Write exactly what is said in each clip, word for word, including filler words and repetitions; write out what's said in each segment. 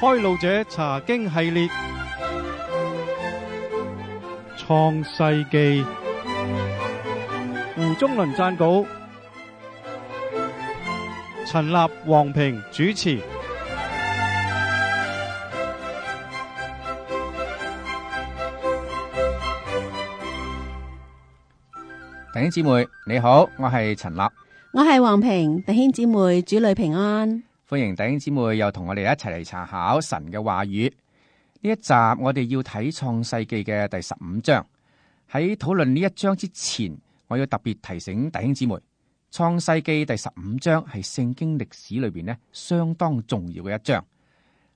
開路者查經系列，創世記，胡宗麟撰稿，陳立、黃平主持。弟兄姊妹你好，我係陳立，我係黃平。弟兄姊妹主內平安，歡迎弟兄姊妹又同我哋一齊嚟查考神嘅話語。呢一集我哋要睇創世記嘅第十五章。喺討論呢一章之前，我要特別提醒弟兄姊妹，創世記第十五章係聖經歷史裏邊呢相當重要嘅一章。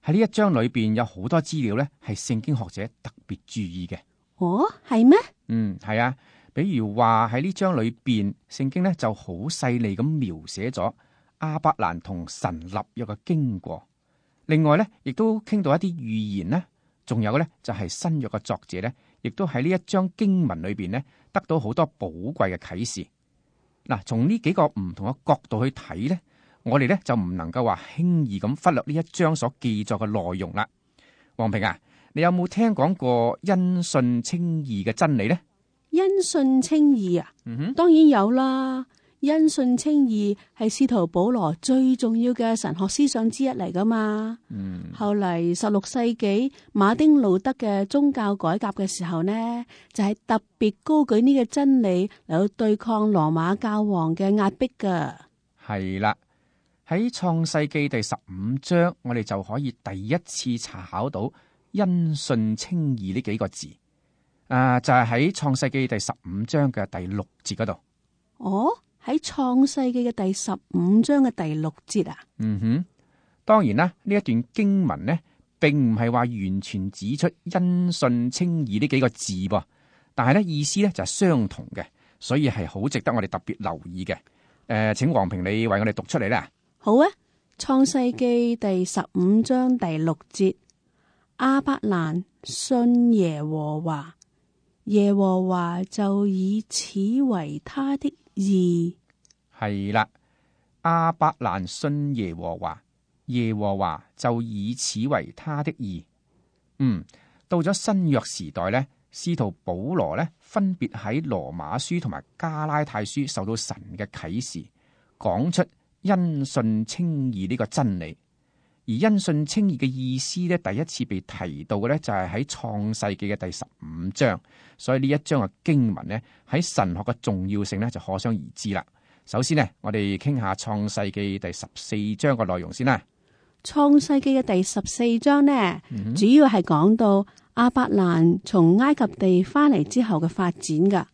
喺呢一章裏邊有好多資料呢係聖經學者特別注意嘅。哦，係咩？嗯，係啊。比如話喺呢章裏邊，聖經呢就好細膩咁描寫咗亞伯蘭同神立約嘅經過。另外呢，亦都傾到一啲預言呢，仲有呢，就係新約嘅作者呢，亦都喺呢一章經文裏邊呢得到好多寶貴嘅啟示。嗱，從呢幾個唔同嘅角度去睇呢，我哋呢就唔能夠話輕易咁忽略呢一章所記載嘅內容啦。黃平啊，你有冇聽講過因信稱義嘅真理呢？因信稱義啊，嗯哼，當然有啦。因信稱義係使徒保羅最重要嘅神學思想之一嚟噶嘛。嗯，後嚟十六世紀馬丁路德嘅宗教改革嘅時候呢，就係、是、特別高舉呢個真理嚟到對抗羅馬教皇嘅壓迫噶。係啦，喺創世記第十五章，我哋就可以第一次查考到因信稱義呢幾個字。啊，就係喺創世記第十五章嘅第六節嗰度。哦，喺創世記嘅第十五章嘅第六節啊。嗯哼，當然啦，呢一段經文呢，並唔係話完全指出因信稱義呢幾個字噃，但係呢意思呢就係相同嘅，所以係好值得我哋特別留意嘅。誒、呃，請黃平你為我哋讀出嚟啦。好啊，創世記第十五章第六節，亞伯蘭信耶和華。耶和華就以此為他的義。係啦，亞伯蘭信耶和華，耶和華就以此為他的義。嗯，到咗新約時代呢，使徒保羅呢分別喺羅馬書同埋加拉太書受到神嘅啟示，講出因信稱義呢個真理。而因信稱義嘅意思咧，第一次被提到嘅咧，就係喺創世記嘅第十五章。所以呢一章嘅經文咧，喺神學嘅重要性咧，就可想而知啦。首先呢，我哋傾下創世記第十四章嘅內容先啦。創世記嘅第十四章呢，嗯、主要係講到亞伯蘭從埃及地翻嚟之後嘅發展噶。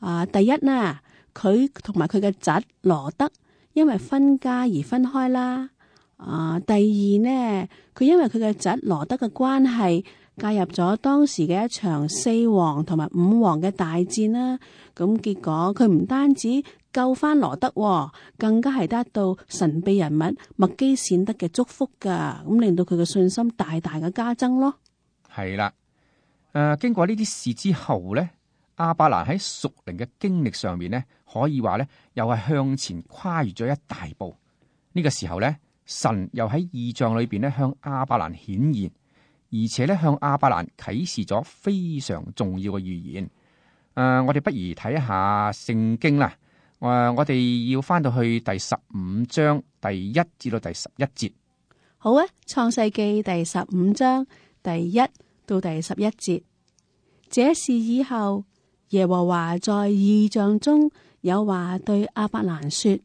啊，第一呢，佢同埋佢嘅侄羅德因為分家而分開啦。啊，第二呢，佢因為佢嘅侄羅德嘅關係，介入咗當時嘅一場四王同埋五王嘅大戰啦。咁結果佢唔單止救翻羅德，更加係得到神秘人物麥基洗德嘅祝福噶，咁令到佢嘅信心大大嘅加增咯。係啦，誒、呃，經過呢啲事之後呢，亞伯蘭喺屬靈嘅經歷上面呢，可以話呢，又係向前跨越咗一大步。呢、這個時候呢，神又喺異象裏邊咧向亞伯蘭顯現，而且咧向亞伯蘭啟示咗非常重要嘅預言。誒、呃，我哋不如睇一下聖經啦。誒、呃，我哋要翻到去第十五章第一至到第十一節。好啊，創世記第十五章第一到第十一節。這事以後，耶和華在異象中有話對亞伯蘭說：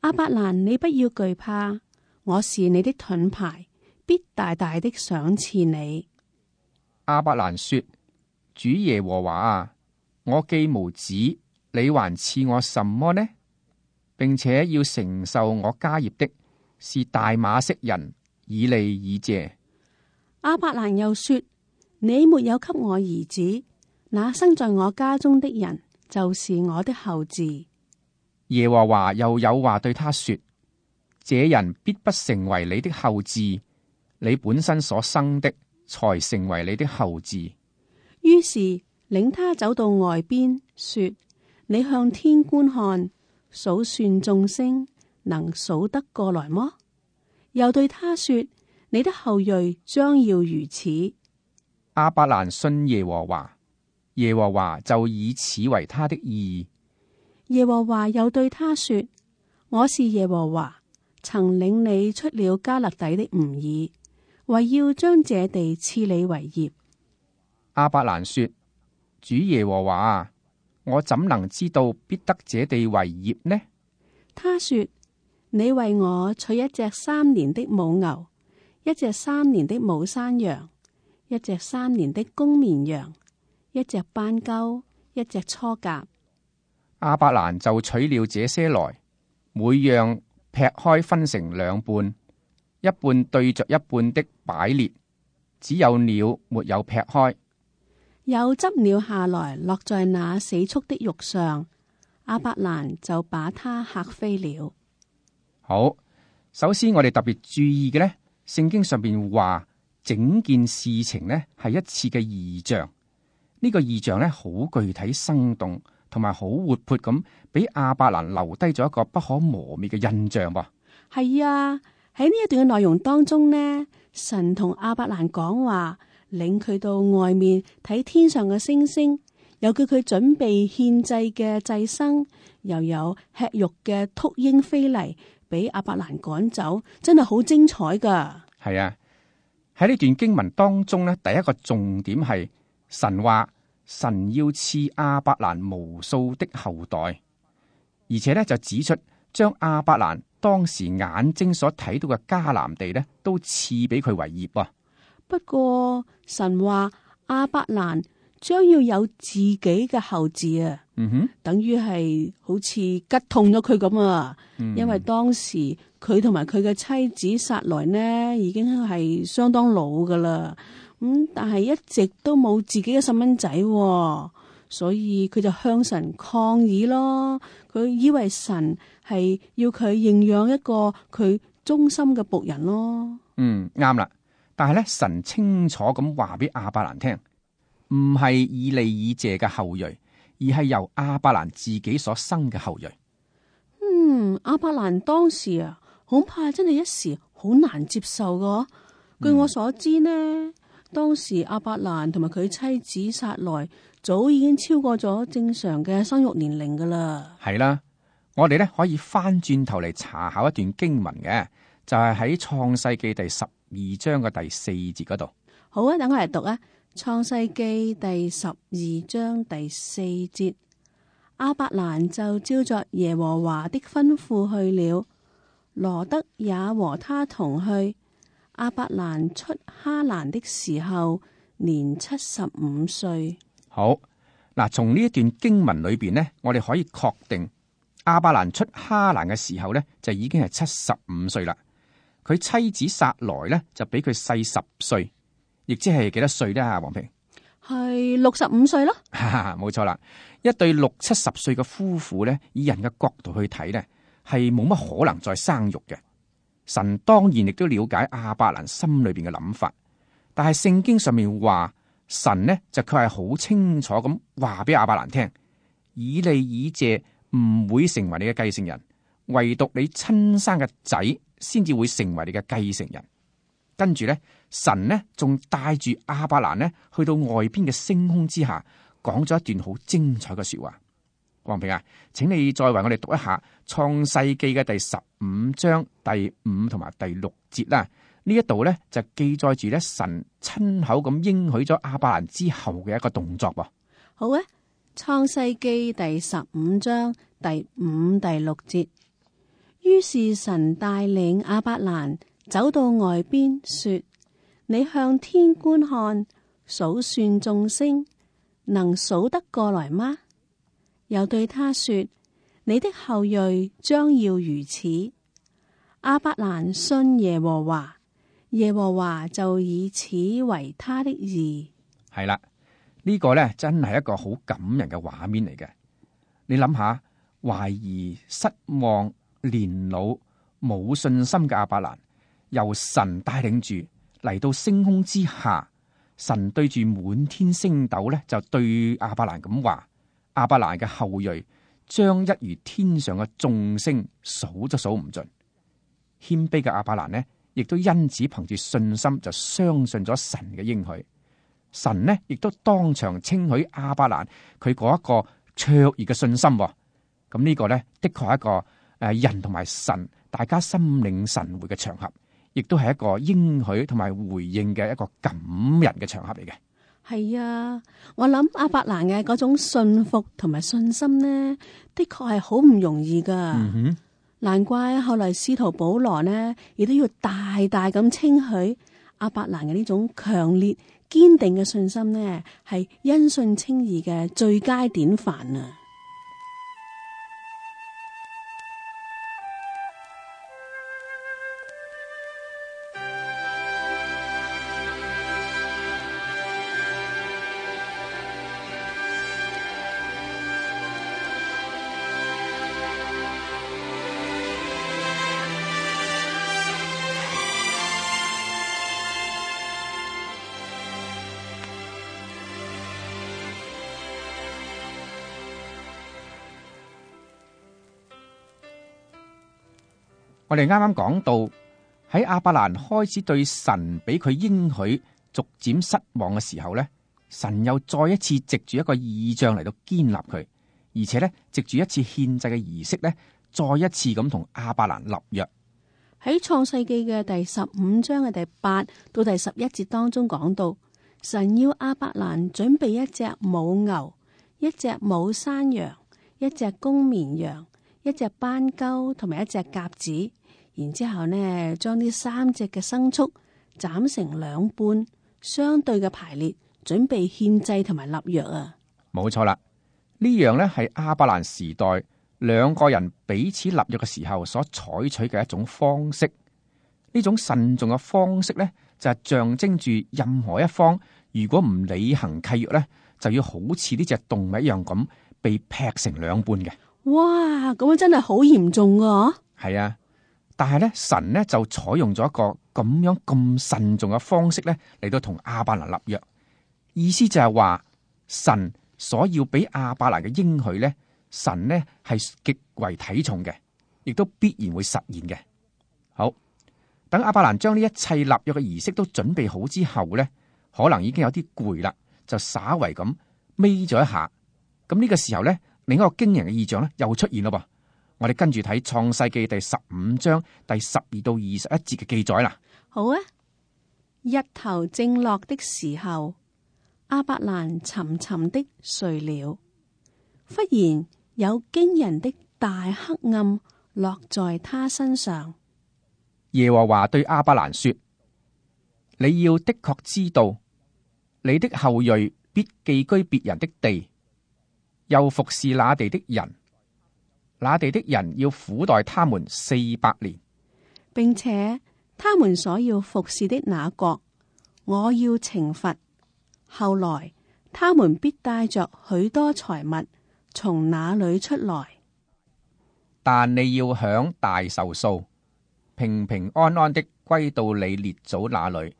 亞伯蘭，你不要懼怕。我是你的盾牌，必大大的賞賜你。亞伯蘭說：主耶和華啊，我既無子，你還賜我什麼呢？並且要承受我家業的是大馬色人以利以謝。亞伯蘭又說：你沒有給我兒子，那生在我家中的人就是我的後嗣。耶和華又有話對他說：這人必不成為你的後嗣，你本身所生的才成為你的後嗣。於是領他走到外邊，說：你向天觀看，數算眾星，能數得過來麼？又對他說：你的後裔將要如此。亞伯蘭信耶和華，耶和華就以此為他的義。耶和華又對他說：我是耶和華，曾領你出了迦勒底的吾珥，為要將這地賜你為業。亞伯蘭說：主耶和華啊，我怎能知道必得這地為業呢？他說：你為我取一隻三年的母牛，一隻三年的母山羊，一隻三年的公綿羊，一隻斑鳩，一隻雛鴿。亞伯蘭就取了這些來，每樣劈開分成兩半，一半對着一半的擺列，只有鳥沒有劈開。又執鳥下來，落在那死畜的肉上，亞伯蘭就把它嚇飛了。好，首先我哋特別注意嘅呢，聖經上邊話整件事情呢係一次嘅異象，呢、這個異象呢好具體生動，同埋好活潑咁，俾亞伯蘭留低咗一個不可磨滅嘅印象噃。係啊，喺呢一段嘅內容當中呢，神同亞伯蘭講話，領佢到外面睇天上嘅星星，又叫佢準備獻祭嘅祭牲，又有吃肉嘅禿鷹飛嚟，俾亞伯蘭趕走，真係好精彩噶。係啊，喺呢段經文當中呢，第一個重點係神話神要賜亞伯蘭無數的後代，而且呢就指出將亞伯蘭當時眼睛所睇到嘅迦南地呢，都賜俾佢為業啊。不過神話亞伯蘭將要有自己嘅後嗣啊，嗯哼，等於係好似吉痛咗佢咁啊。嗯、因為當時佢同埋佢嘅妻子撒萊呢，已經係相當老噶啦，咁、嗯、但係一直都冇自己嘅細蚊仔，所以佢就向神抗議咯。佢以為神係要佢認養一個佢忠心嘅僕人咯。嗯，啱啦。但係咧，神清楚咁話俾亞伯蘭聽，唔係以利以謝嘅後裔，而係由亞伯蘭自己所生嘅後裔。嗯，亞伯蘭當時啊，恐怕真係一時好難接受噶。據我所知呢，嗯、當時亞伯蘭同埋佢妻子撒萊早已經超過咗正常嘅生育年齡噶啦。係啦，我哋咧可以翻轉頭嚟查考一段經文嘅，就係喺創世記第十二章嘅第四節嗰度。好啊，等我嚟讀啊，創世記第十二章第四節。亞伯蘭就照着耶和華的吩咐去了，羅得也和他同去。亞伯蘭出哈蘭的時候，年七十五歲。好，嗱，從呢一段經文裏邊呢，我哋可以確定亞伯蘭出哈蘭嘅時候呢，就已經係七十五歲啦。佢妻子撒萊呢，就比佢細十歲，亦即係幾多歲呢？啊，黃平係六十五歲咯。冇錯啦，一對六七十歲嘅夫婦呢，以人嘅角度去睇呢，係冇乜可能再生育嘅。神當然亦都了解亞伯蘭心裏邊嘅諗法，但係聖經上面話神呢，就佢係好清楚咁話俾亞伯蘭聽，以利以謝唔會成為你嘅繼承人，唯獨你親生嘅仔先至會成為你嘅繼承人。跟住咧，神呢仲帶住亞伯蘭呢去到外邊嘅星空之下，講咗一段好精彩嘅說話。黃平啊，請你再為我哋讀一下創世記嘅第十五章第五同埋第六節啦。呢一度咧就記載住咧神親口咁應許咗亞伯蘭之後嘅一個動作噃。好啊，創世記第十五章第五、第六節。於是神帶領亞伯蘭走到外邊，說：你向天觀看，數算眾星，能數得過來嗎？又對他說：你的後裔將要如此。亞伯蘭信耶和華，耶和華就以此為他的義。係啦，呢個呢真係一個好感人嘅畫面嚟嘅。你諗下，懷疑、失望、年老、冇信心嘅亞伯蘭，由神帶領住嚟到星空之下，神對住滿天星斗呢，就對亞伯蘭咁話：亞伯蘭嘅後裔將一如天上嘅眾星，數都數唔盡。謙卑嘅亞伯蘭呢，亦都因此憑住信心就相信咗神嘅應許。神呢亦都當場稱許亞伯蘭佢嗰一個卓越嘅信心。咁呢個呢，的確係一個誒人同埋神大家心領神會嘅場合，亦都係一個應許同埋回應嘅一個感人嘅場合嚟嘅。係啊，我諗亞伯蘭嘅嗰種信服同埋信心呢，的確係好唔容易噶。嗯哼，難怪後來使徒保羅呢，亦都要大大咁稱許亞伯蘭嘅呢種強烈堅定嘅信心呢，係因信稱義嘅最佳典範啊！我哋啱啱講到喺亞伯蘭開始對神俾佢應許逐漸失望嘅時候呢，神又再一次藉住一個異象嚟到堅立佢，而且呢，藉住一次獻祭嘅儀式呢，再一次咁同亞伯蘭立約。喺創世記嘅第十五章嘅第八到第十一節當中講到，神要亞伯蘭準備一隻母牛、一隻母山羊、一隻公綿羊、一隻斑鳩同埋一隻鴿子。然之後呢，將呢三隻嘅牲畜斬成兩半，相對嘅排列，準備獻祭同埋立約啊！冇錯啦，呢樣呢係亞伯蘭時代兩個人彼此立約嘅時候所採取嘅一種方式。呢種慎重嘅方式呢，就係象徵住任何一方如果唔履行契約呢，就要好似呢隻動物一樣咁被劈成兩半嘅。哇！咁樣真係好嚴重㗎。係啊。但係咧，神咧就採用咗一個咁樣咁慎重嘅方式咧嚟到同亞伯蘭立約，意思就係話神所要俾亞伯蘭嘅應許咧，神咧係極為睇重嘅，亦都必然會實現嘅。好，等亞伯蘭將呢一切立約嘅儀式都準備好之後咧，可能已經有啲攰啦，就稍為咁眯咗一下。咁呢個時候咧，另一個驚人嘅異象咧又出現咯噃。我哋跟住睇創世記第十五章第十二到二十一節嘅記載啦。好啊，日頭正落的時候，亞伯蘭沉沉的睡了。忽然有驚人的大黑暗落在他身上。耶和華對亞伯蘭說：你要的確知道，你的後裔必寄居別人的地，又服侍那地的人。那地的人要苦待他們四百年，並且他們所要服侍的那國，我要懲罰。後來他們必帶着許多財物從那裏出來，但你要享大壽數，平平安安的歸到你列祖那裏，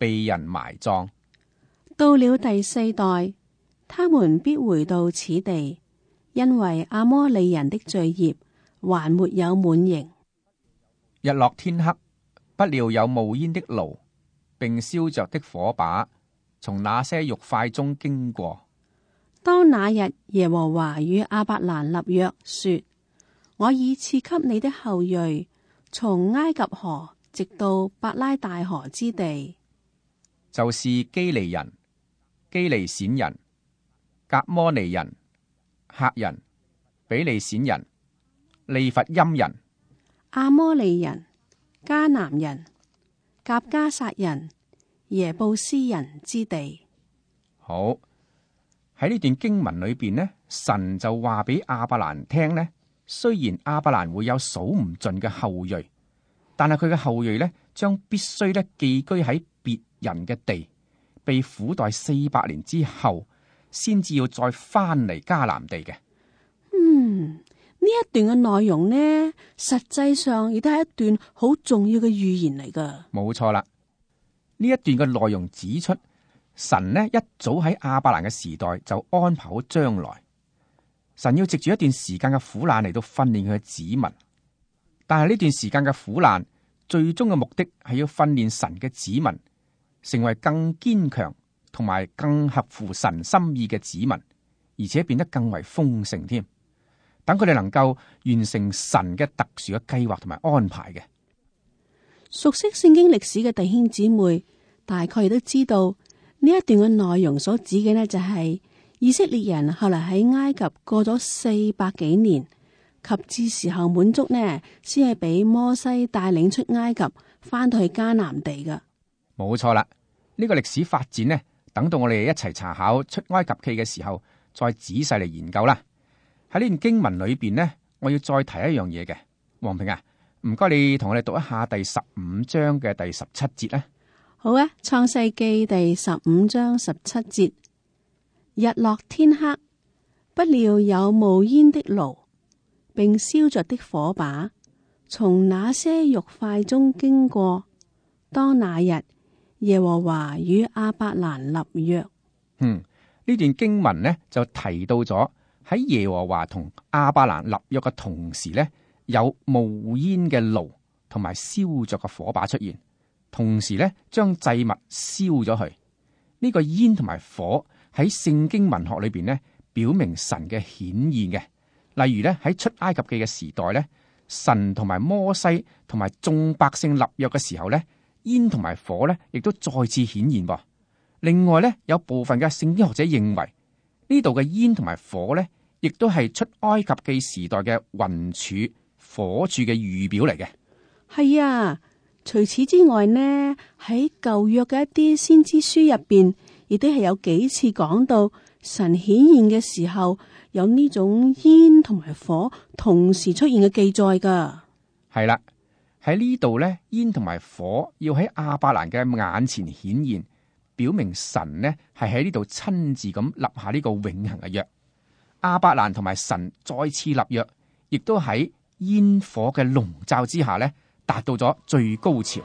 被人埋葬。到了第四代，他們必回到此地。因為阿摩利人的罪孽還沒有滿盈。日落天黑，不料有冒煙的爐，並燒着的火把，從那些肉塊中經過。當那日耶和華與亞伯蘭立約，說：我已賜給你的後裔，從埃及河直到伯拉大河之地，就是基利人、基利閃人、革摩尼人、赫人、比利閃人、利弗音人、阿摩利人、迦南人、革迦撒人、耶布斯人之地。好，喺呢段經文裏邊呢，神就話俾亞伯蘭聽呢，雖然亞伯蘭會有數唔盡嘅後裔，但係佢嘅後裔呢，將必須呢寄居喺別人嘅地，被苦待四百年之後，先至要再翻嚟迦南地嘅。嗯，呢一段嘅內容呢，實際上亦都係一段好重要嘅預言嚟噶。冇錯啦，呢一段嘅內容指出，神呢一早喺亞伯蘭嘅時代就安排好將來，神要藉住一段時間嘅苦難嚟到訓練佢嘅子民。但係呢段時間嘅苦難，最終嘅目的係要訓練神嘅子民成為更堅強同埋更合乎神心意嘅子民，而且變得更為豐盛添。等佢哋能夠完成神嘅特殊嘅計劃同埋安排嘅。熟悉聖經歷史嘅弟兄姊妹，大概亦都知道呢一段嘅內容所指嘅呢，就係以色列人後來喺埃及過咗四百幾年，及至時候滿足呢，先係俾摩西帶領出埃及，翻到去迦南地噶。冇錯啦，呢個歷史發展呢，等到我哋一齊查考出埃及記嘅時候，再仔細嚟研究啦。喺呢段經文裏邊呢，我要再提一樣嘢嘅。黃平啊，唔該你同我哋讀一下第十五章嘅第十七節啦。好啊，創世記第十五章十七節，日落天黑，不料有冒煙的爐，並燒着的火把，從那些肉塊中經過。當那日，耶和華與亞伯蘭立約。嗯，呢段經文呢就提到咗喺耶和華同亞伯蘭立約嘅同時呢，有冒煙嘅爐同埋燒着嘅火把出現，同時呢將祭物燒咗去。呢、這個煙同埋火喺聖經文學裏邊呢，表明神嘅顯現嘅。例如呢，喺出埃及記嘅時代呢，神同埋摩西同埋眾百姓立約嘅時候呢，煙同埋火呢亦都再次顯現噃。另外呢，有部分嘅聖經學者認為呢度嘅煙同埋火呢，亦都係出埃及記時代嘅雲柱、火柱嘅預表嚟嘅。係啊，除此之外呢，喺舊約嘅一啲先知書入邊，亦都係有幾次講到神顯現嘅時候，有呢種煙同埋火同時出現嘅記載噶。係啦，喺呢度呢，煙同埋火要喺亞伯蘭嘅眼前顯現，表明神呢係喺呢度親自咁立下呢個永恆嘅約。亞伯蘭同埋神再次立約，亦都喺煙火嘅籠罩之下呢，達到咗最高潮。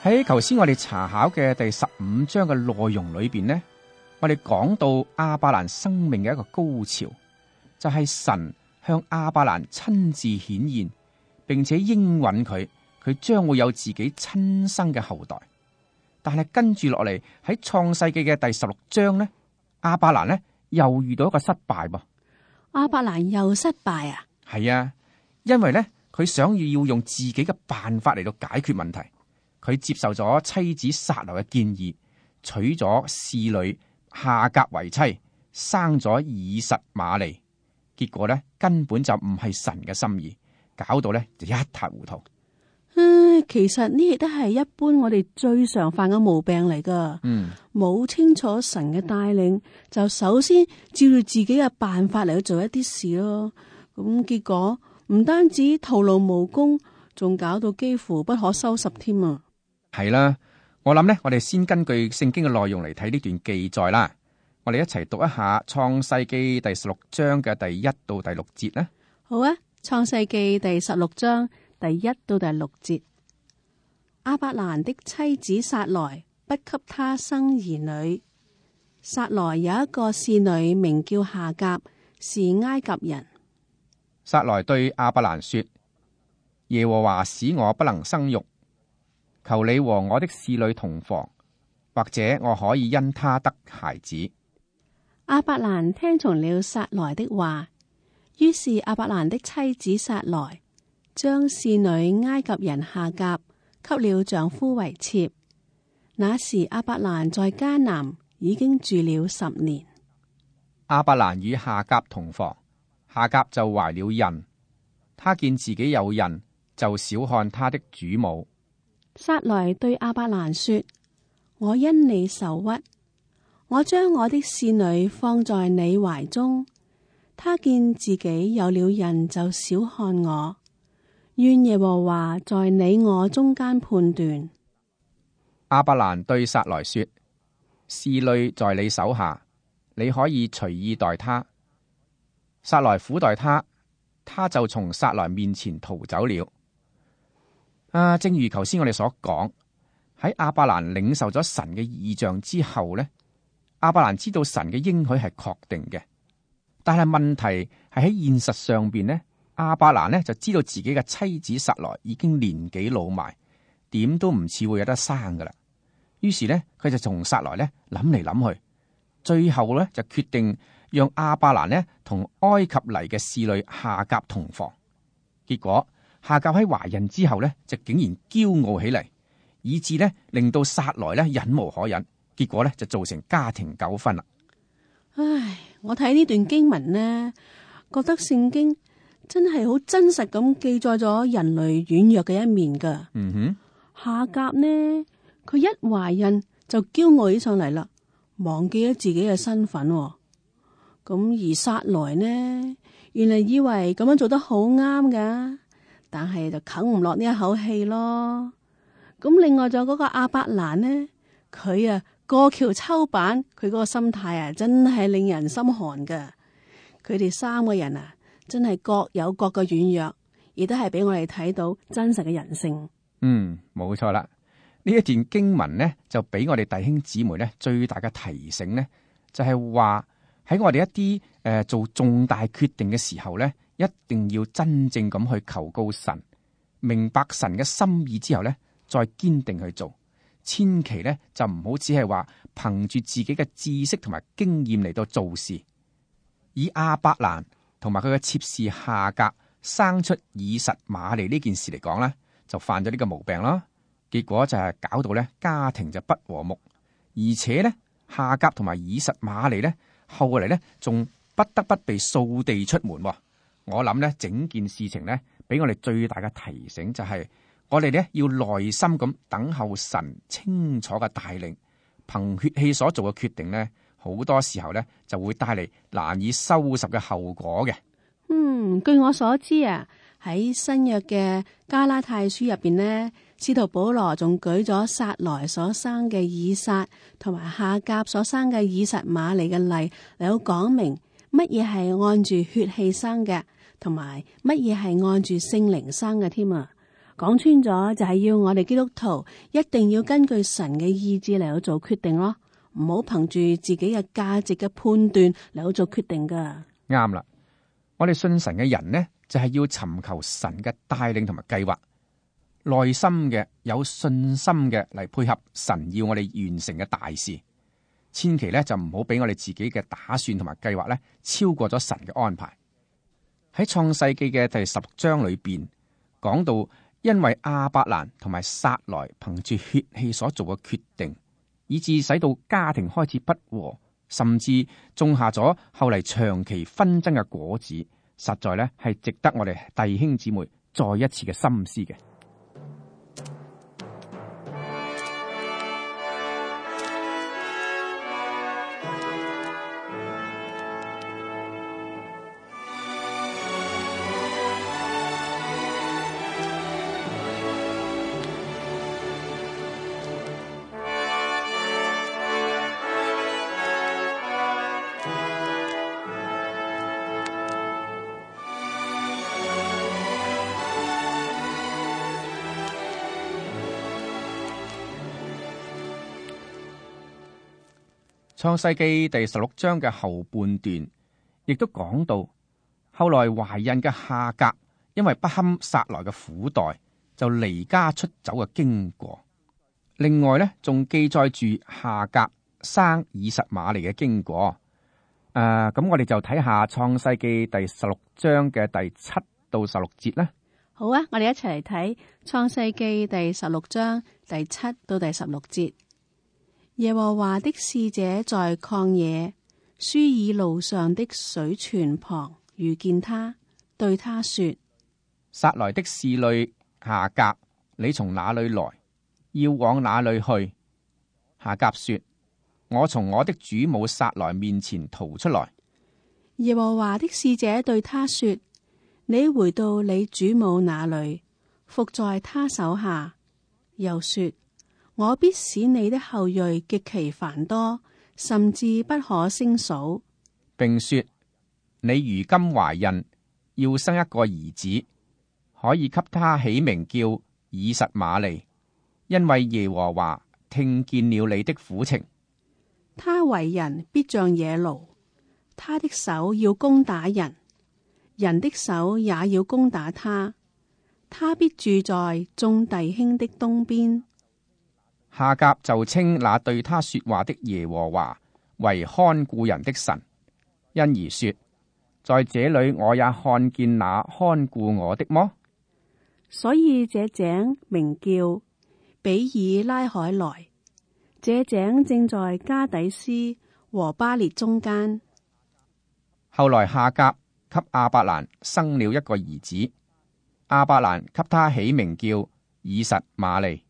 喺頭先我哋查考嘅第十五章嘅內容裏邊呢，我哋講到亞伯蘭生命嘅一個高潮，就係神向亞伯蘭親自顯現，並且應允佢，佢將會有自己親生嘅後代。但係跟住落嚟喺創世記嘅第十六章呢，亞伯蘭呢又遇到一個失敗噃。亞伯蘭又失敗啊？係啊，因為呢，佢想要要用自己嘅辦法嚟到解決問題。佢接受咗妻子撒羅嘅建議，娶咗侍女夏甲為妻，生咗以實瑪利。結果咧根本就唔係神嘅心意，搞到咧就一塌糊塗。唉，其實呢亦都係一般我哋最常犯嘅毛病嚟噶。嗯，冇清楚神嘅帶領，就首先照住自己嘅辦法嚟去做一啲事咯。咁結果唔單止徒勞無功，仲搞到幾乎不可收拾添啊！係啦，我諗呢，我哋先根據聖經嘅內容嚟睇呢段記載啦。我哋一齊讀一下創世記第十六章嘅第一到第六節啦。好啊，創世記第十六章第一到第六節。亞伯蘭的妻子撒萊不給他生兒女。撒萊有一個侍女名叫夏甲，是埃及人。撒萊對亞伯蘭說：耶和華使我不能生育。求你和我的侍女同房，或者我可以因他得孩子。亞伯蘭聽從了撒萊的話，於是亞伯蘭的妻子撒萊將侍女埃及人夏甲給了丈夫為妾。那時亞伯蘭在迦南已經住了十年。亞伯蘭與夏甲同房，夏甲就懷了孕，他見自己有孕，就小看他的主母。撒萊對亞伯蘭說：我因你受屈，我將我的使女放在你懷中。他見自己有了孕，就小看我。願耶和華在你我中間判斷。亞伯蘭對撒萊說：使女在你手下，你可以隨意待他。撒萊苦待他，他就從撒萊面前逃走了。啊，正如頭先我哋所講，喺亞伯蘭領受咗神嘅異象之後呢，亞伯蘭知道神嘅應許係確定嘅。但係問題係喺現實上邊呢，亞伯蘭呢就知道自己嘅妻子撒萊已經年紀老邁，點都唔似會有得生噶啦。於是呢，佢就從撒萊呢諗嚟諗去，最後呢就決定讓亞伯蘭呢同埃及嚟嘅侍女夏甲同房。結果夏甲喺懷孕之後呢，就竟然驕傲起嚟，以致呢令到撒萊呢忍無可忍，結果呢就造成家庭糾紛啦。唉，我睇呢段經文呢，覺得聖經真係好真實咁記載咗人類軟弱嘅一面噶。嗯哼，夏甲呢，佢一懷孕就驕傲起上嚟啦，忘記咗自己嘅身份。咁而撒萊呢，原來以為咁樣做得好啱噶，但係就啃唔落呢一口氣咯。咁另外仲有嗰個亞伯蘭呢，佢啊過橋抽板，佢嗰個心態啊真係令人心寒噶。佢哋三個人啊，真係各有各嘅軟弱，亦都係俾我哋睇到真實嘅人性。嗯，冇錯啦。呢一段經文呢，就俾我哋弟兄姊妹呢最大嘅提醒呢，就係話喺我哋一啲誒、呃、做重大決定嘅時候呢，一定要真正咁去求告神，明白神嘅心意之後呢，再堅定去做。千祈呢就唔好只係話憑住自己嘅知識同埋經驗嚟到做事。以亞伯蘭同埋佢嘅妾侍夏甲生出以實瑪利呢件事嚟講呢，就犯咗呢個毛病啦。結果就係搞到咧家庭就不和睦，而且呢，夏甲同埋以實瑪利呢，後嚟呢仲不得不被掃地出門。我諗呢整件事情呢，俾我哋最大嘅提醒就係、是、我哋呢要耐心咁等候神清楚嘅帶領，憑血氣所做嘅決定呢，好多時候呢就會帶嚟難以收拾嘅後果嘅。嗯，據我所知啊，喺新約嘅加拉太書入邊呢，使徒保羅仲舉咗撒萊所生嘅以撒同埋夏甲所生嘅以實瑪利嘅例嚟到講明乜嘢係按住血氣生嘅，同埋乜嘢係按住聖靈生嘅添啊。講穿咗就係要我哋基督徒一定要根據神嘅意志嚟到做決定咯，唔好憑住自己嘅價值嘅判斷嚟到做決定噶。啱啦，我哋信神嘅人呢，就係要尋求神嘅帶領同埋計劃，耐心嘅有信心嘅嚟配合神要我哋完成嘅大事。千祈咧就唔好俾我哋自己嘅打算同埋計劃咧超過咗神嘅安排。喺創世記嘅第十章裏邊講到，因為亞伯蘭同埋撒萊憑住血氣所做嘅決定，以致使到家庭開始不和，甚至種下咗後嚟長期紛爭嘅果子，實在咧係值得我哋弟兄姊妹再一次嘅深思嘅。創世記第十六章嘅後半段，亦都講到後來懷孕嘅夏甲，因為不堪撒萊嘅苦待，就離家出走嘅經過。另外呢，仲記載住夏甲生以實瑪利嘅經過。誒、呃，咁我哋就睇下創世記第十六章嘅第七到十六節啦。好啊，我哋一齊嚟睇創世記第十六章第七到第十六節。耶和華的使者在曠野舒爾路上的水泉旁遇見他，對他說：撒來的侍女夏甲，你從哪裏來？要往哪裏去？夏甲說：我從我的主母撒來面前逃出來。耶和華的使者對他說：你回到你主母那裏，伏在他手下。又說：我必使你的後裔極其繁多，甚至不可勝數。並說：你如今懷孕，要生一個兒子，可以給他起名叫以實瑪利，因為耶和華聽見了你的苦情。他為人必像野驢，他的手要攻打人，人的手也要攻打他。他必住在眾弟兄的東邊。夏甲就稱那對他說話的耶和華為看顧人的神，因而說：在這裏我也看見那看顧我的麼？所以這井名叫比爾拉海萊。這井正在加底斯和巴列中間。後來夏甲給亞伯蘭生了一個兒子，亞伯蘭給他起名叫以實瑪利。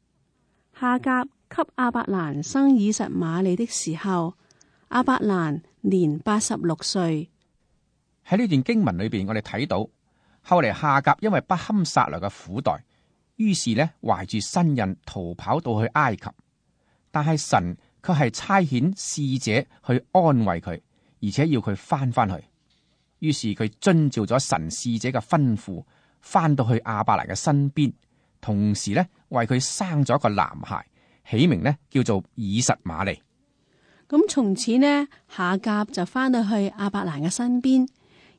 夏甲給亞伯蘭生以實瑪利的時候，亞伯蘭年八十六歲。喺呢段經文裏邊，我哋睇到後嚟夏甲因為不堪撒來嘅苦待，於是呢懷住身孕逃跑到去埃及，但係神卻係差遣使者去安慰佢，而且要佢翻翻去。於是佢遵照咗神使者嘅吩咐，翻到去亞伯蘭嘅身邊，同時呢為佢生咗一個男孩，起名呢叫做以實瑪利。咁從此呢，夏甲就翻到去亞伯蘭嘅身邊，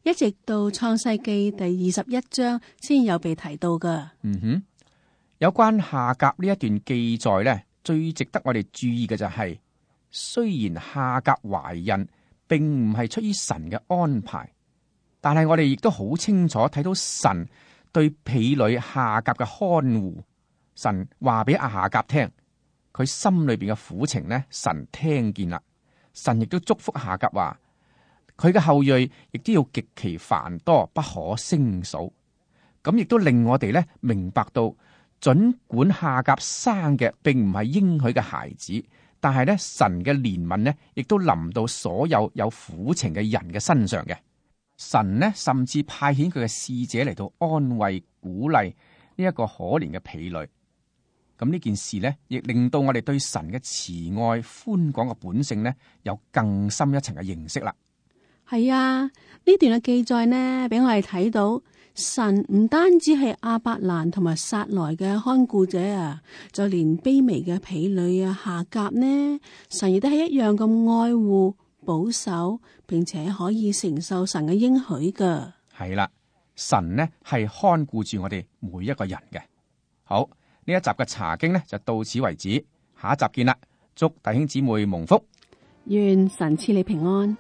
一直到創世記第二十一章先有被提到噶。嗯哼，有關夏甲呢一段記載呢，最值得我哋注意嘅就係、是，雖然夏甲懷孕並唔係出於神嘅安排，但係我哋亦都好清楚睇到神對婢女夏甲嘅看護。神話俾阿夏甲聽，佢心裏邊嘅苦情呢，神聽見啦。神亦都祝福夏甲話，佢嘅後裔亦都要極其繁多，不可勝數。咁亦都令我哋呢明白到，盡管夏甲生嘅並唔係應許嘅孩子，但係呢神嘅憐憫呢，亦都臨到所有有苦情嘅人嘅身上嘅。神呢甚至派遣佢嘅使者嚟到安慰鼓勵呢一個可憐嘅婢女。咁呢件事呢，亦令到我哋對神嘅慈愛寬廣嘅本性呢，有更深一層嘅認識啦。係啊，呢段嘅記載呢，俾我哋睇到神唔單止係亞伯蘭同埋撒萊嘅看顧者啊，就連卑微嘅婢女啊夏甲呢，神亦都係一樣咁愛護保守，並且可以承受神嘅應許噶。係啦，神呢係看顧住我哋每一個人嘅。好。呢一集嘅查經呢，就到此為止，下一集見啦！祝弟兄姊妹蒙福，願神賜你平安。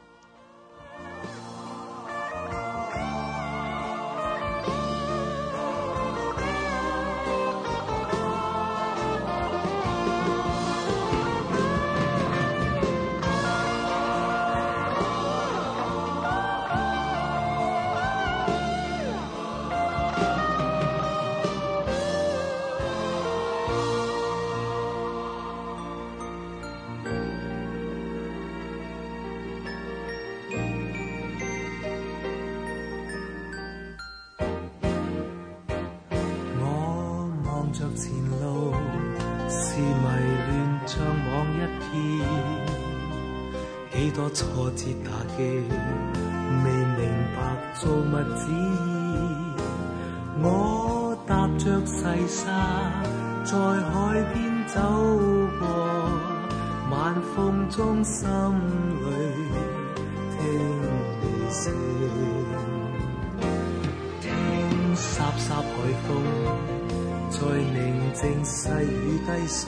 前路是迷亂像網一片，幾多挫折打擊，未明白造物旨意。我踏着細沙在海邊走過，晚風中心裏聽你聲，聽颯颯海風在寧靜細雨低訴，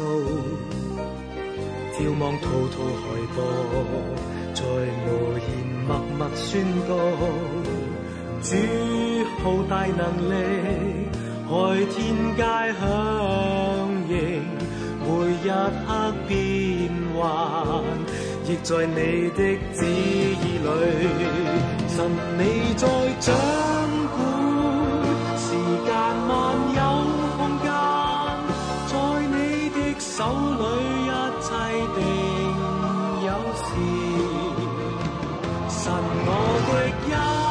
眺望滔滔海波，在無言默默宣告，主浩大能力，海天皆響應，每一刻變幻，亦在你的旨意裏。神你在掌管，時間萬有空間，在你的手裏一切定有時。神我的恩